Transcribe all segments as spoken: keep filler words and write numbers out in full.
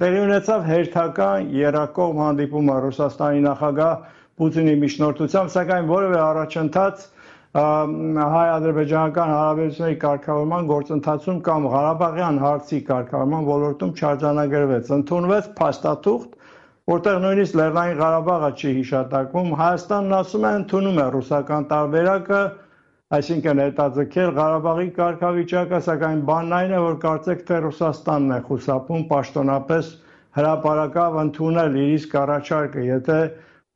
Տեղի ունեցավ հերթական եռակողմ հանդիպումը Ռուսաստանի նախագահ Պուտինի միջնորդությամբ, սակայն որևէ առաջընթաց հայ-ադրբեջանական հարաբերությունների կարգավորման գործընթացում կամ Ղարաբաղյան հարցի կարգավորման ոլորտում չարձանագրվեց։ Ընդունվեց փաստաթուղթ, որտեղ նույնիսկ Լեռնային Ղարաբաղը չի հիշատակվում։ Հայաստանն ասում է, ընդունում է ռուսական տարբերակը, այսինքն հետաձգել Ղարաբաղի կարգավիճակը, սակայն բանն այն է, որ կարծեք թե Ռուսաստանն է խուսափում պաշտոնապես հրապարակավ ընդունել իր իսկ առաջարկը, եթե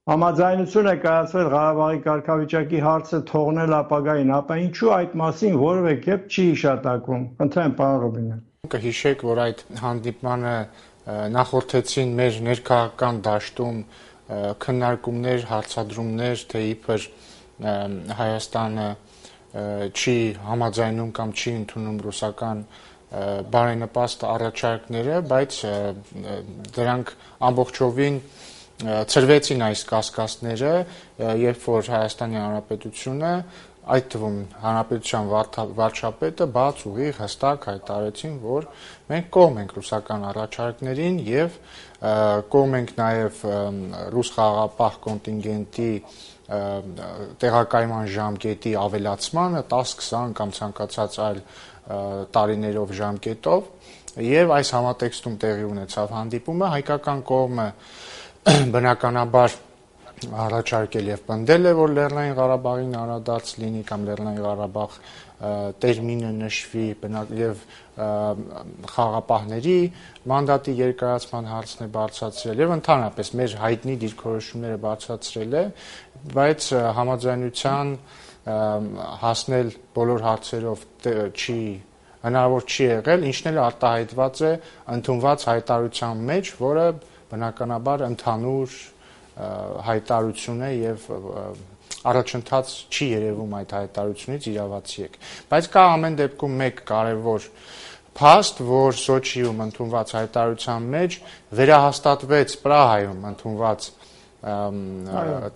համաձայնություն է կայացվել Ղարաբաղի կարգավիճակի հարցը թողնել ապագային, ապա ինչու այդ մասին որևէ կերպ չի հիշատակվում։ Խնդրեմ, պարոն Ռուբինյան։ Կհիշեք, որ այդ հանդիպմանը նախորդեցին մեր ներքաղաքական դաշտում քննարկումներ, հարցադրումներ, թե իբր Հայաստանը չի համաձայնում կամ չի ընդունում ռուսական բարենպաստ առաջարկները, բայց դրանք ամբողջովին ծրվեցին այս կասկածները, երբ որ Հայաստանի Հանրապետությունը, այդ թվում Հանրապետության վարչապետը բաց ուղիղ հստակ հայտարարեցին, որ մենք կողմ ենք ռուսական առաջարկներին եւ կողմ ենք նաեւ ռուս խաղաղապահ կոնտինգենտի տեղակայման ժամկետի ավելացմանը տաս քսան կամ ցանկացած այլ տարիներով ժամկետով եւ այս համատեքստում տեղի ունեցավ հանդիպումը հայկական կողմը բնականաբար առաջարկել եւ պնդել է, որ Լեռնային Ղարաբաղին անդրադարձ լինի կամ Լեռնային Ղարաբաղ տերմինը նշվի եւ խաղաղապահների մանդատի երկարացման հարցն է բարձրացրել եւ ընդհանրապես մեր հայտնի դիրքորոշումները բարձրացրել է, բայց համաձայնության հասնել բոլոր հարցերով չի հնարավոր չի եղել, ինչն էլ արտահայտված է ընդունված հայտարարության մեջ, որը բնականաբար ընդհանուր հայտարարություն է եւ առաջընթաց չի երևում այդ հայտարարությունից իրավացի եք, բայց կա ամեն դեպքում մեկ կարևոր փաստ, որ Սոչիում ընդունված հայտարարության մեջ վերահաստատվեց Պրահայում ընդունված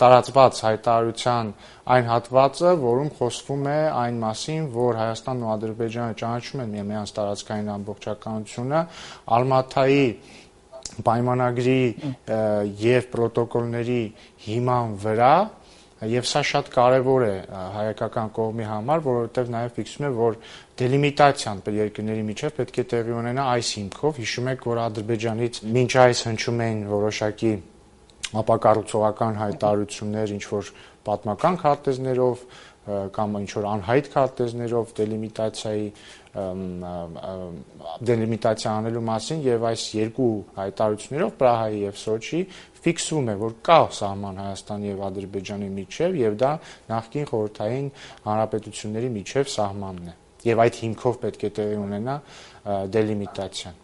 տարածված հայտարարության այն հատվածը, որում խոսվում է այն մասին, որ Հայաստանն ու Ադրբեջանը ճանաչում են միմյանց տարածքային ամբողջականությունը, Ալմաթայի պայմանագրի եւ պրոտոկոլների հիման վրա, եւ սա շատ կարեւոր է հայկական կողմի համար, որովհետեւ նաեւ ֆիքսում է, որ դելիմիտացիան երկրների միջեւ պետք է տեղի ունենա այս հիմքով։ Հիշում եք, որ Ադրբեջանից մինչ այս հնչում էին որոշակի ապակառուցողական հայտարարություններ, ինչ որ պատմական քարտեզներով կամ ինչ որ անհայտ քարտեզներով դելիմիտացիայի դելիմիտացիա անելու մասին եւ այս երկու հայտարարություններով Պրահայի եւ Սոչի ֆիքսվում է, որ կա սահման Հայաստանի եւ Ադրբեջանի միջեւ եւ դա նախկին խորհրդային հանրապետությունների միջեւ սահմանն է եւ այդ հիմքով պետք է տեղի ունենա դելիմիտացիան։